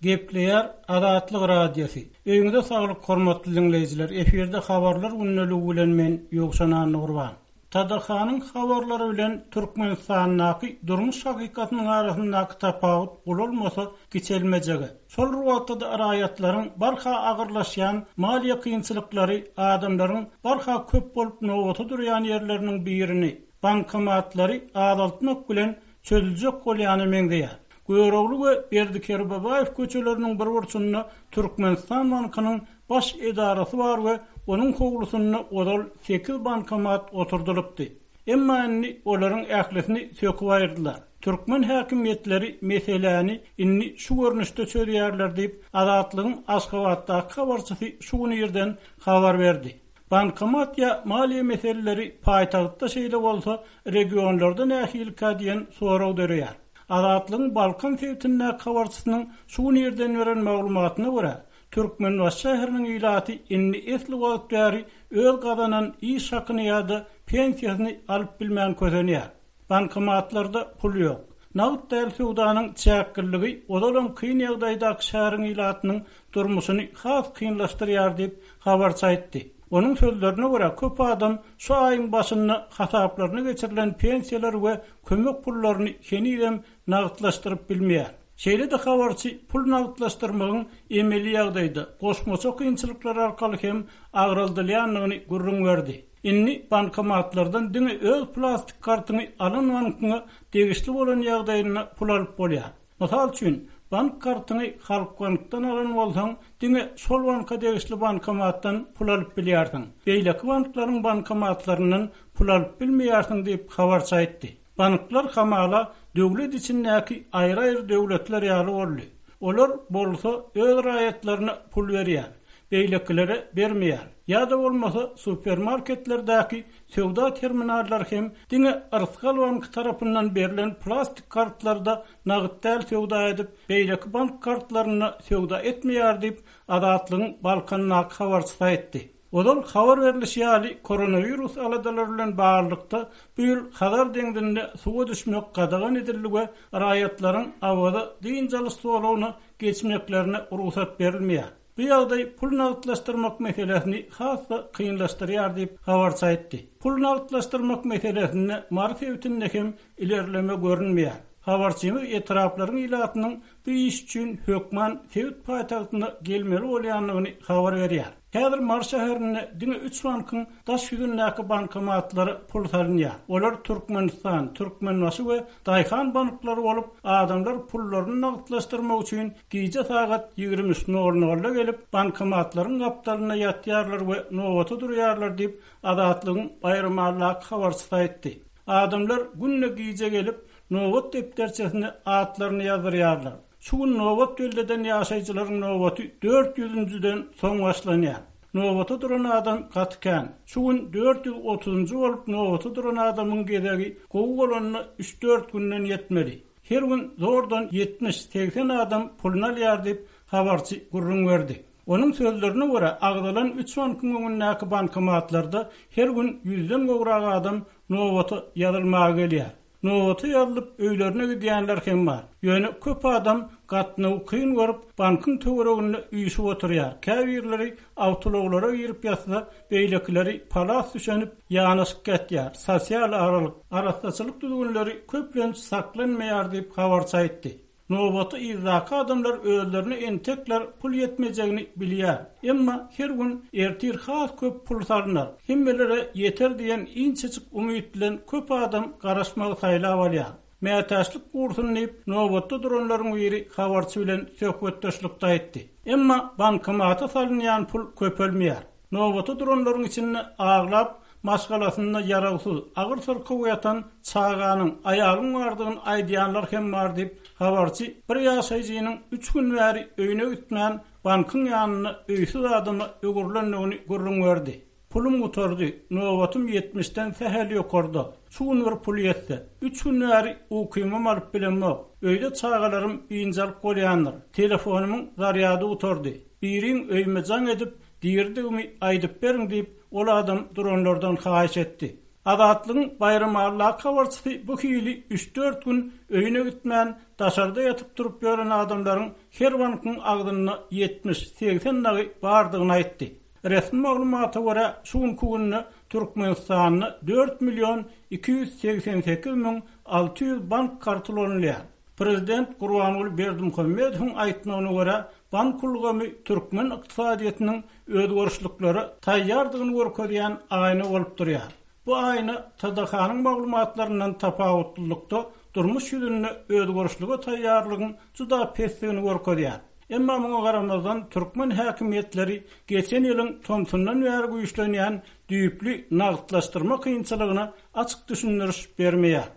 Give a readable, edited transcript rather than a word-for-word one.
Gepleýär Azatlyk Radiosy. Öýüňize saglyk hormatly diňleýjiler. Efirde habarlar gündeligi bilen men Ýowşan Annagurban. TDH-nyň habarlary bilen Türkmenistandaky durmuş hakykatynyň arasyndaky tapawut ulalmasa kiçelmejege. Şol bir wagtda-da raýatlaryň barha agyrlaşýan maliýe kynçylyklary adamlaryň barha köp bolup nobata durýan ýerleriniň birini, bankomatlary azaltmak bilen çözüljek bolýana meňzeýär. Görogly we Berdi Kerbabaýew köçeleriniň bir burçunda Türkmenistan bankynyň baş edarasy bar we onuň howlusynda ozal sekiz bankomat oturdylypdy. Emma indi olaryň ählisini söküp aýyrdylar. Türkmen häkimiýetleri meseläni indi şu görnüşde çözýärler diýip, Azatlygyň Aşgabatdaky habarçysy şu gün irden habar berdi. Bankomat ýa maliýe meseleleri paýtagtda şeýle bolsa, regionlarda nähilikä diýen sorag döreýär. Azatlygyň Balkan sebitindäki habarçysynyň şu gün irden beren maglumatyna görä, Türkmenbaşy şäheriniň ilaty indi esli wagt bäri öz gazanan iş hakyny ýa-da pensiýasyny alyp bilmän kösenýär. Bankomatlarda pul ýok. Nagt däl söwdanyň çäkliligi ozalam kyn ýagdaýdaky şäheriň ilatynyň durmuşyny has kynlaşdyrýar diýip, habarçy aýtdy. Onuň sözlerine görä, köp adam şu aýyň başynda hasaplaryna geçirilen pensiýalary we kömek pullaryny henizem nagtlaşdyryp bilmeýär. Şeýle-de habarçy pul nagtlaşdyrmagyň emeli ýagdaýda, goşmaça kynçylyklar arkaly hem agraldylýandygyny gürrüň berdi. Indi bankomatlardan diňe öz plastik kartyňy alan bankyňa degişli bolan ýagdaýynda pul alyp bolýar. Mysal üçin, bank kartyňy Halkbankdan alan bolsaň, diňe şol banka degişli bankomatdan pul alyp bilýärsiň. Beýleki banklaryň bankomatlaryndan pul alyp bilmeýärsiň diýip, habarçy aýtdy. Banklar hamala döwlet içindäki aýry-aýry döwletler ýaly boldy. Olar bolsa öz raýatlaryna pul berýär, beýlekilere bermeýär. Ýa-da bolmasa supermarketlerdäki söwda terminallary hem diňe Rysgal banky tarapyndan berlen plastik kartlarda nagt däl söwda edip, beýleki bank kartlarynda söwda etmeýär diýip, Azatlygyň Balkandaky habarçysy aýtdy. Ozal habar berlişi ýaly, koronawirus aladalary bilen baglylykda, bu ýyl Hazar deňzinde suwa düşmek gadagan edildi we raýatlaryň Awaza dynç alyş zolagyna geçmeklerine rugsat berilmeýär. Bu ýagdaý pul nagtlaşdyrmak meselesini has-da kynlaşdyrýar diýip, habarçy aýtdy. Pul nagtlaşdyrmak meselesinde Mary sebitinde hem ilerleme görünmeýär. Habarçymyz etraplaryň ilatynyň bu iş üçin hökman sebit paýtagtyna gelmeli bolýandygyny habar berýär. Häzir Mary şäherinde diňe üç bankyň daş ýüzündäki bankomatlara pul salynýar. Olar Türkmenistan, Türkmenbaşy we Daýhan banklary bolup, adamlar pullaryny nagtlaşdyrmak üçin gije sagat 23 nol nolda gelip, bankomatlaryň gapdalynda ýatýarlar we nobata durýarlar diýip, Azatlygyň Baýramalydaky habarçysy aýtdy. Adamlar günde gije gelip, nobat depderçesine atlaryny ýazdyrýarlar. Şu gün nobat belleden ýaşaýjylaryň nobaty dört ýüzünjiden soň başlanýar. Nobata duran adam gaty kän. Şu gün 430-njy bolup nobata duran adamyň gezegi gowy bolanda üç-dört günden ýetmeli. Her gün zordan ýetmiş-segsen adam puluny alýar diýip, habarçy gürrüň berdi. Onuň sözlerine görä, agzalan üç bankyň öňündäki bankomatlarda her gün ýüzden gowrak adam nobata ýazylmaga gelýär. Nobata ýazylyp, öýlerine gidýänler hem bar. Ýöne köp adam gatnawy kyn görüp, bankyň töwereginde üýşüp oturýar. Käbirleri awtoulaglara girip ýatsa, beýlekileri palas düşenip, ýanaşyk ýatýar. Sosial aralyk, arassaçylyk düzgünleri köplenç saklanmaýar diýip, habarçy aýtdy. Nobaty yzdaky adamlar özlerine entekler pul ýetmejegini bilýär. Emma her gün ertir has köp pul salnar, hemmelere ýeter diýen inçejik umyt bilen köp adam garaşmagy saýlap alýar. Mätäçlik gursun diýip, nobatda duranlaryň biri habarçy bilen söhbetdeşlikde aýtdy. Emma bankomata salynýan pul köpelmeýär. Nobata duranlaryň içinde aglap, maşgalasynda ýarawsyz, agyr syrkaw ýatan çaganyň, aýalyň bardygyny aýdýanlar hem bar diýip, habarçy bir ýaşaýjynyň üç gün bäri öýüne gitmän, bankyň ýanynda öýsüz adama öwrülendigini gürrüň berdi. Pulum gutardy, nobatym ýetmişden sähel ýokarda. Şu gün bir pul ýetse. Üç gün bäri ukymam alyp bilemok. Öýde çagalarym biynjalyk bolýandyr. Telefonymyň zarýady gutardy. Biriň öýüme jaň edip, diridigimi aýdyp beriň diýip, ol adam duranlardan haýyş etdi. Azatlygyň Baýramalydaky habarçysy bu hili üç-dört gün öýüne gitmän, daşarda ýatyp-turup ýören adamlaryň her bankyň agzynda 70, 80 dagy bardygyny aýtdy. Resmi maglumata görä, şu günki günde Türkmenistanda dört million 288 müň 600 bank karty ulanylýar. Prezident Gurbanguly Berdimuhamedowyň aýtmagyna görä, bank ulgamy türkmen ykdysadyýetiniň özgerişliklere taýýardygyny görkezýän aýna bolup durýar. Bu aýna TDH-nyň maglumatlaryndan tapawutlylykda durmuş ýüzünde özgerişlige taýýarlygyň juda pesdigini görkezýär. Emma muňa garamazdan türkmen häkimiýetleri geçen ýylyň tomsundan bäri güýçlenýän düýpli nagtlaşdyrma kynçylygyna açyk düşündiriş bermeýär.